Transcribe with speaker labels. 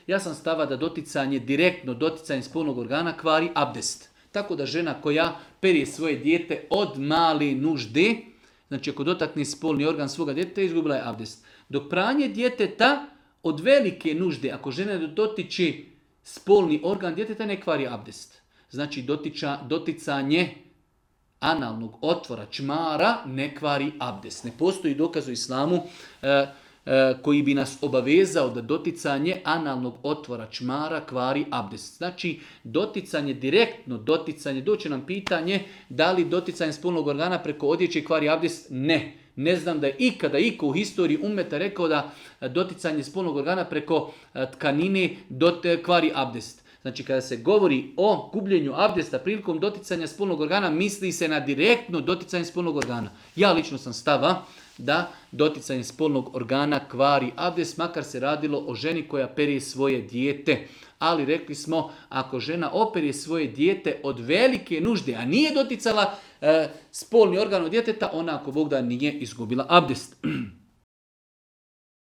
Speaker 1: Ja sam stava da direktno doticanje spolnog organa kvari abdest. Tako da žena koja perje svoje dijete od male nužde, znači ako dotakne spolni organ svoga djeteta, izgubila je abdest. Dok pranje djeteta od velike nužde, ako žena dotiče spolni organ djeteta, ne kvari abdest. Znači doticanje analnog otvora čmara ne kvari abdest. Ne postoji dokaz u islamu koji bi nas obavezao da doticanje analnog otvora čmara kvari abdest. Znači direktno doticanje, doće nam pitanje da li doticanje spolnog organa preko odjeće kvari abdest? Ne. Ne znam da je ikada iko u historiji ummeta rekao da doticanje spolnog organa preko tkanine kvari abdest. Znači kada se govori o gubljenju abdesta prilikom doticanja spolnog organa, misli se na direktno doticanje spolnog organa. Ja lično sam stava da doticanje spolnog organa kvari abdest, makar se radilo o ženi koja perje svoje dijete. Ali rekli smo, ako žena opere svoje dijete od velike nužde, a nije doticala spolni organ od djeteta, ona ako Bog da nije izgubila abdest.